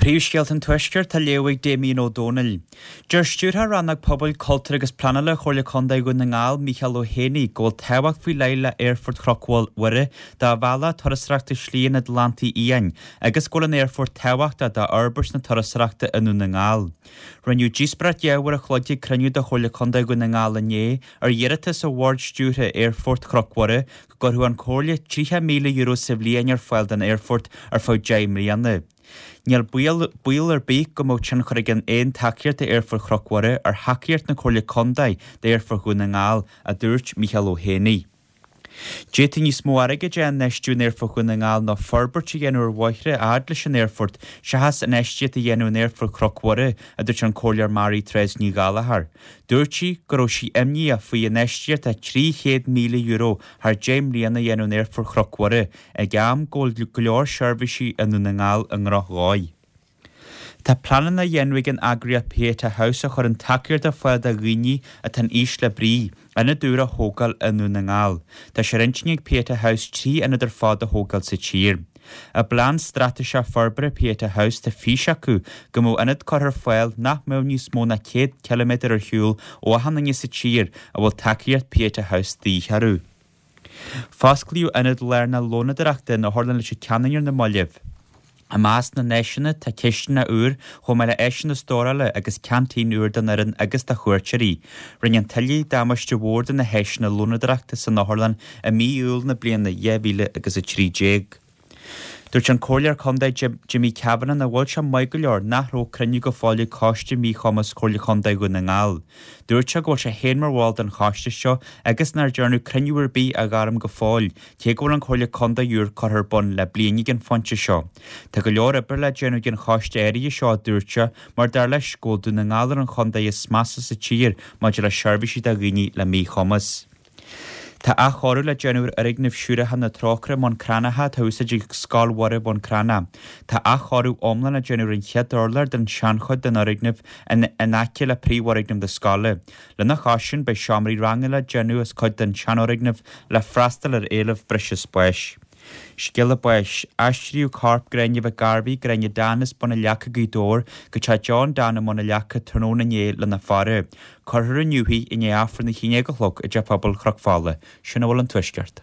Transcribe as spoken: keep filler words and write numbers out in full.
Príomhscéalta an Tuaiscirt á léamh ag Damien Ó Dónaill. Deir Stiúrthóir Rannóg Pobail, Cultúir agus Pleanála Chomhairle Contae Dhún na nGall, Micheál Ó hÉanaí, go bhfuil tábhacht faoi leith le Aerfort Chnoc Mhuire do bhealach turasóireachta Shlí an Atlantaigh Fhiáin agus go bhfuil an aerfort tábhachtach do fhorbairt na turasóireachta i nDún na nGall. Rinneadh díospóireacht dhá uair a chloig ag cruinniú de Chomhairle Contae Dhún na nGall inné ar iarratas ó Bhord Stiúrtha Aerfort Chnoc Mhuire go gcuirfeadh an Chomhairle tríocha míle euro sa bhliain ar fáil don aerfort ar feadh deich mbliana. Níl baol ar bith go mbeadh tionchar ag aon tacaíocht d'Aerfort Chnoc Mhuire ar thacaíocht na Comhairle Contae d'Aerfort Dhún na nGall, a dúirt Micheál Ó hÉanaí. D'fhéadfaí níos mó airgid a infheistiú in Aerfort Dhún na nGall ná forbairt a dhéanamh ar bhóithre a fhad leis an aerfort seachas infheistíocht a dhéanamh in Aerfort Chnoc Mhuire, a dúirt an Comhairleoir Marie Therese Ní Ghallchóir. Dúirt sí go raibh sí imníoch faoi infheistíocht de trí chéad míle euro thar deich mbliana a dhéanamh in Aerfort Chnoc Mhuire ag am go bhfuil go leor seirbhísí i nDún na nGall i ndrochdhóigh. Tá pleananna á dhéanamh ag an eagraíocht Pieta House a chuireann tacaíocht ar fáil do dhaoine atá in ísle brí, ionad úr a thógáil i nDún na nGall. Tá sé ar intinn ag Pieta House trí ionad ar fad a thógáil sa tír. I bplean straitéiseach forbartha Pieta House tá fís acu go mbeadh ionad curtha ar fáil nach mbeadh níos mó ná céad ciliméadar ar shiúl ó achan duine sa tír a bhfuil tacaíocht Pieta House de dhíth orthu. Fosclaíodh ionad lárnach lónadóireachta in Otharlann Leitir Ceanainn ar na mallaibh. I measc na n-áiseanna tá cistineach úr chomh maith le áiseanna stórála agus ceaintín úr don fhoireann agus do chuairteoirí. Rinne an tuile damáiste mhór do na háiseanna lónadóireachta san otharlann i mí Iúil na bliana dhá mhíle agus a trí déag. Dúirt an Comhairleoir Contae Jimmy Kavanagh nach bhfuil sé maith go leor nach raibh cruinniú go fóill ag Coiste Míchumais Chomhairle Contae Dhún na nGall. Dúirt sé go bhfuil sé féin mar bhall den choiste seo agus nár dearnadh cruinniú ar bith a ghairm go fóill, cé go bhfuil an Chomhairle Contae úr curtha ar bun le bliain ag an phointe seo. Tá go leor oibre le déanamh ag an choiste áirithe seo, a dúirt sé, mar dar leis go bhfuil Dún na nGall ar an chontae is measa sa tír maidir le seirbhísí do dhaoine le míchumas. Tá athchóiriú le déanamh ar fhoirgneamh Siúracha na Trócaire i mBun Cranncha atá á úsáid ag Scoil Mhuire Bhun Cranncha. Tá athchóiriú iomlán le déanamh ar an chéad urlár den seanchuid den fhoirgneamh in aice le príomhfhoirgneamh na scoile. Lena chois sin beidh seomraí ranga le déanamh as cuid den seanfhoirgneamh le freastal ar éileamh breise spáis. Scéala báis, Aistríodh corp Gráinne Mhic Gairbhí, Gráinne Dan as Bun an Leaca, Gaoth Dobhair, go teach John Dan i mBun an Leaca tráthnóna inné lena faire. Cuirfear inniu í i ndiaidh Aifreann a haon déag a chlog i dTeach Pobail Chnoc Fola. Sin a bhfuil ón Tuaisceart.